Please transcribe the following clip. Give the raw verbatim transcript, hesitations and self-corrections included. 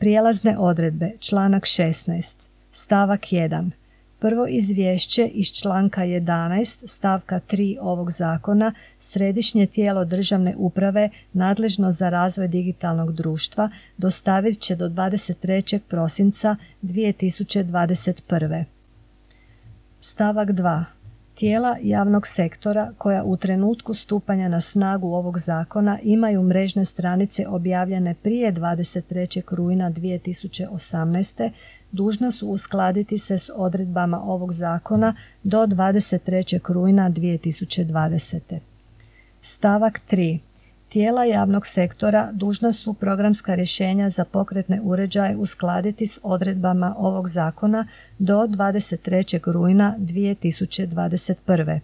Prijelazne odredbe, članak šesnaest, stavak jedan. Prvo izvješće iz članka jedanaest stavka tri ovog zakona Središnje tijelo državne uprave nadležno za razvoj digitalnog društva dostavit će do dvadeset trećeg prosinca dvije tisuće dvadeset prve. Stavak dva. Tijela javnog sektora koja u trenutku stupanja na snagu ovog zakona imaju mrežne stranice objavljene prije dvadeset trećeg rujna dvije tisuće osamnaeste. dužna su uskladiti se s odredbama ovog zakona do dvadeset trećeg rujna dvije tisuće dvadesete. Stavak tri. Tijela javnog sektora dužna su programska rješenja za pokretne uređaje uskladiti s odredbama ovog zakona do dvadeset trećeg rujna dvije tisuće dvadeset prve.